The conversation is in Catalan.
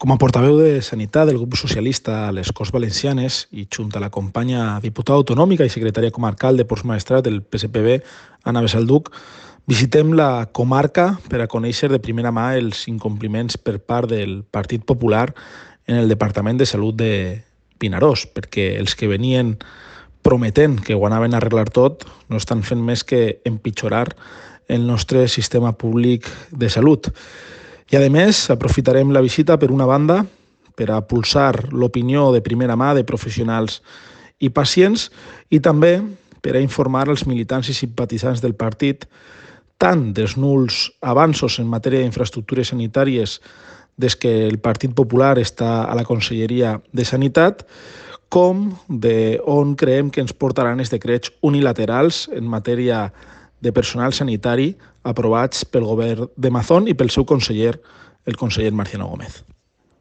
Com a portaveu de Sanitat del grup socialista a les Corts Valencianes i junt a la companya diputada autonòmica i secretària comarcal de Ports Maestrat del PSPB, Anna Besalduc, visitem la comarca per a conèixer de primera mà els incompliments per part del Partit Popular en el Departament de Salut de Vinaròs, perquè els que venien prometent que ho anaven a arreglar tot no estan fent més que empitjorar el nostre sistema públic de salut. I, a més, aprofitarem la visita, per una banda, per a pulsar l'opinió de primera mà de professionals i pacients i també per a informar els militants i simpatitzants del partit tant dels nuls avanços en matèria d'infraestructures sanitàries des que el Partit Popular està a la Conselleria de Sanitat, com de on creiem que ens portaran els decrets unilaterals en matèria de personal sanitari aprovats pel govern de Mazón i pel seu conseller, el conseller Marciano Gómez.